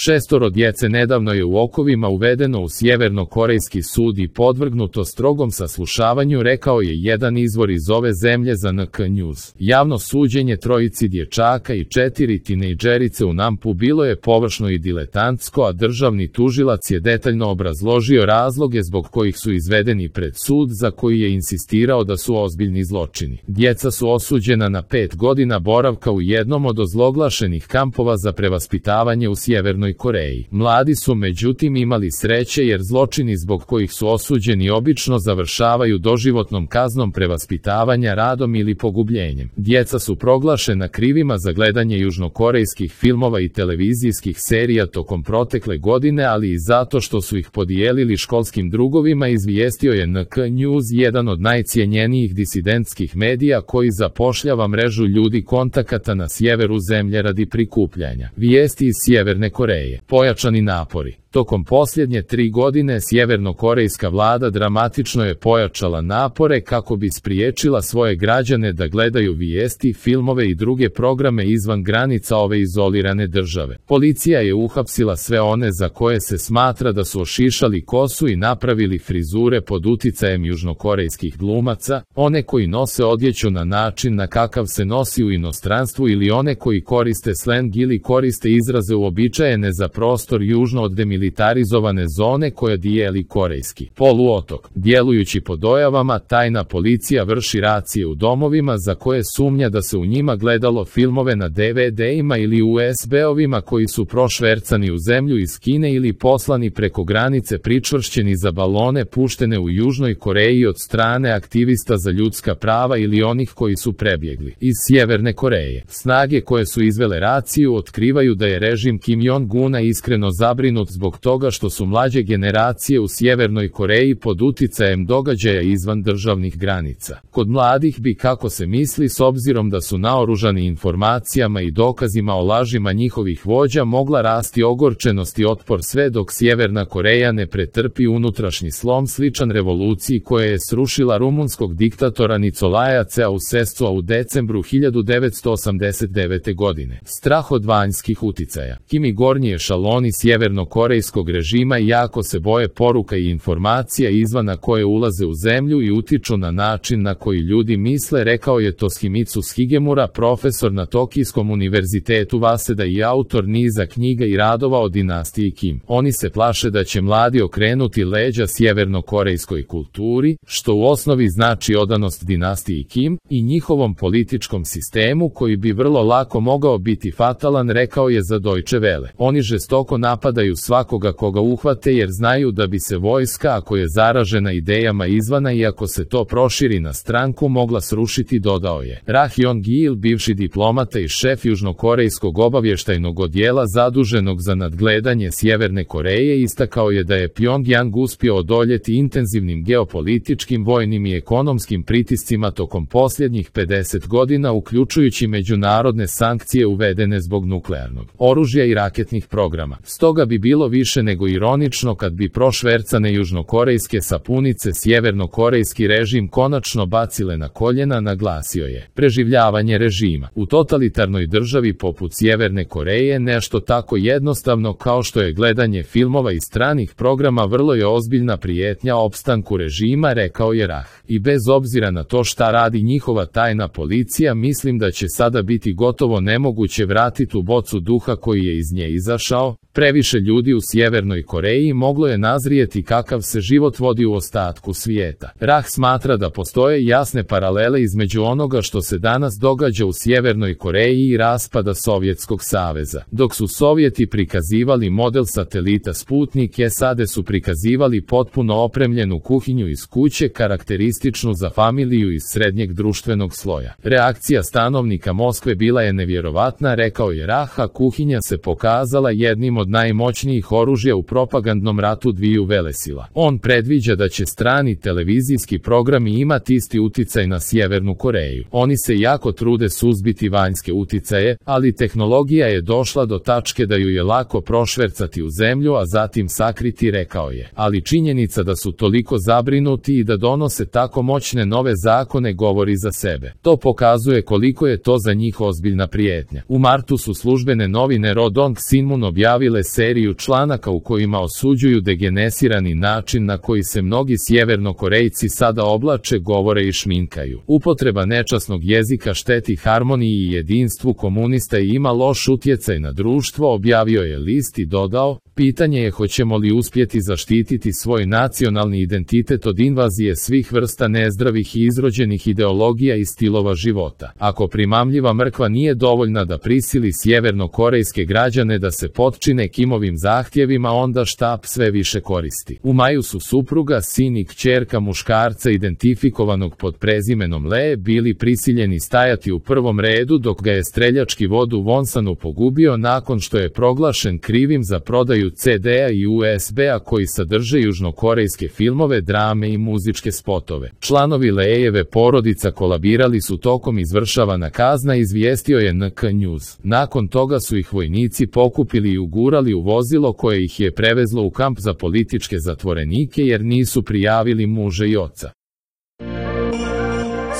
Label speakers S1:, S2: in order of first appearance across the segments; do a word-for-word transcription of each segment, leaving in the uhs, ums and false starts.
S1: Šestoro djece nedavno je u okovima uvedeno u sjevernokorejski sud i podvrgnuto strogom saslušavanju, rekao je jedan izvor iz ove zemlje za N K News. Javno suđenje trojici dječaka i četiri tinejdžerice u Nampu bilo je površno i diletantsko, a državni tužilac je detaljno obrazložio razloge zbog kojih su izvedeni pred sud, za koji je insistirao da su ozbiljni zločini. Djeca su osuđena na pet godina boravka u jednom od ozloglašenih kampova za prevaspitavanje u Sjevernoj Koreji. Mladi su međutim imali sreće, jer zločini zbog kojih su osuđeni obično završavaju doživotnom kaznom prevaspitavanja, radom ili pogubljenjem. Djeca su proglašena krivima za gledanje južnokorejskih filmova i televizijskih serija tokom protekle godine, ali i zato što su ih podijelili školskim drugovima, izvijestio je N K News, jedan od najcijenjenijih disidentskih medija koji zapošljava mrežu ljudi kontakata na sjeveru zemlje radi prikupljanja vijesti iz Sjeverne Koreje. Pojačani napori. Tokom posljednje tri godine sjevernokorejska vlada dramatično je pojačala napore kako bi spriječila svoje građane da gledaju vijesti, filmove i druge programe izvan granica ove izolirane države. Policija je uhapsila sve one za koje se smatra da su ošišali kosu i napravili frizure pod uticajem južnokorejskih glumaca, one koji nose odjeću na način na kakav se nosi u inostranstvu ili one koji koriste sleng ili koriste izraze uobičajene za prostor južno od demilitarizovane militarizovane zone koja dijeli korejski poluotok. Djelujući po dojavama, tajna policija vrši racije u domovima za koje sumnja da se u njima gledalo filmove na D V D-ima ili U S B-ovima koji su prošvercani u zemlju iz Kine ili poslani preko granice pričvršćeni za balone puštene u Južnoj Koreji od strane aktivista za ljudska prava ili onih koji su prebjegli iz Sjeverne Koreje. Snage koje su izvele raciju otkrivaju da je režim Kim Jong-una iskreno zabrinut zbog toga što su mlađe generacije u Sjevernoj Koreji pod uticajem događaja izvan državnih granica. Kod mladih bi, kako se misli, s obzirom da su naoružani informacijama i dokazima o lažima njihovih vođa, mogla rasti ogorčenost i otpor sve dok Sjeverna Koreja ne pretrpi unutrašnji slom sličan revoluciji koja je srušila rumunskog diktatora Nicolaja Ceausescua u decembru hiljadu devetsto osamdeset devete. godine. Strah od vanjskih uticaja. Kim i gornji ešaloni sjevernokorejskog režima jako se boje poruka i informacija izvana koje ulaze u zemlju i utiču na način na koji ljudi misle, rekao je Toshimitsu Shigemura, profesor na Tokijskom univerzitetu Waseda i autor niza knjiga i radova o dinastiji Kim. Oni se plaše da će mladi okrenuti leđa sjevernokorejskoj kulturi, što u osnovi znači odanost dinastiji Kim i njihovom političkom sistemu koji bi vrlo lako mogao biti fatalan, rekao je za Deutsche Welle. Oni žestoko napadaju svakoga koga uhvate jer znaju da bi se vojska, ako je zaražena idejama izvana i ako se to proširi na stranku, mogla srušiti, dodao je. Rah Yong-il, bivši diplomata i šef južnokorejskog obavještajnog odjela zaduženog za nadgledanje Sjeverne Koreje, istakao je da je Pyongyang uspio odoljeti intenzivnim geopolitičkim, vojnim i ekonomskim pritiscima tokom posljednjih pedeset godina, uključujući međunarodne sankcije uvedene zbog nuklearnog oružja i raketnih programa. Stoga bi bilo više nego ironično kad bi prošvercane južnokorejske sapunice sjevernokorejski režim konačno bacile na koljena, naglasio je. Preživljavanje režima u totalitarnoj državi poput Sjeverne Koreje nešto tako jednostavno kao što je gledanje filmova i stranih programa vrlo je ozbiljna prijetnja opstanku režima, rekao je Rah. I bez obzira na to šta radi njihova tajna policija, mislim da će sada biti gotovo nemoguće vratiti u bocu duha koji je iz nje izašao. Previše ljudi u Sjevernoj Koreji moglo je nazrijeti kakav se život vodi u ostatku svijeta. Rah smatra da postoje jasne paralele između onoga što se danas događa u Sjevernoj Koreji i raspada Sovjetskog saveza. Dok su Sovjeti prikazivali model satelita Sputnik, S A D su prikazivali potpuno opremljenu kuhinju iz kuće, karakterističnu za familiju iz srednjeg društvenog sloja. Reakcija stanovnika Moskve bila je nevjerovatna, rekao je Rah, a kuhinja se pokazala jednim od najmoćnijih nuklearnih oružja u propagandnom ratu dviju velesila. On predviđa da će strani televizijski programi imati isti uticaj na Sjevernu Koreju. Oni se jako trude suzbiti vanjske uticaje, ali tehnologija je došla do tačke da ju je lako prošvercati u zemlju, a zatim sakriti, rekao je. Ali činjenica da su toliko zabrinuti i da donose tako moćne nove zakone govori za sebe. To pokazuje koliko je to za njih ozbiljna prijetnja. U martu su službene novine Rodong Sinmun objavile seriju članaka u kojima osuđuju degenerisani način na koji se mnogi Sjevernokorejci sada oblače, govore i šminkaju. Upotreba nečasnog jezika šteti harmoniji i jedinstvu komunista i ima loš utjecaj na društvo, objavio je list i dodao: pitanje je hoćemo li uspjeti zaštititi svoj nacionalni identitet od invazije svih vrsta nezdravih i izrođenih ideologija i stilova života. Ako primamljiva mrkva nije dovoljna da prisili sjevernokorejske građane da se potčine Kimovim zahtjevima, onda štab sve više koristi. U maju su supruga, sin i kćerka muškarca identifikovanog pod prezimenom Lee bili prisiljeni stajati u prvom redu dok ga je streljački vod u Wonsanu pogubio nakon što je proglašen krivim za prodaju ce de a i u es be a koji sadrže južnokorejske filmove, drame i muzičke spotove. Članovi Leejeve porodica kolabirali su tokom izvršavana kazna, izvijestio je en ka News. Nakon toga su ih vojnici pokupili i ugurali u vozilo koje ih je prevezlo u kamp za političke zatvorenike jer nisu prijavili muža i oca.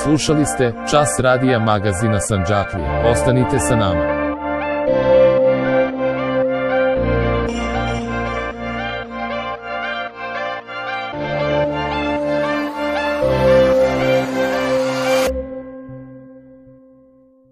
S1: Slušali ste Čas radija magazina Sandžaklija. Ostanite sa nama.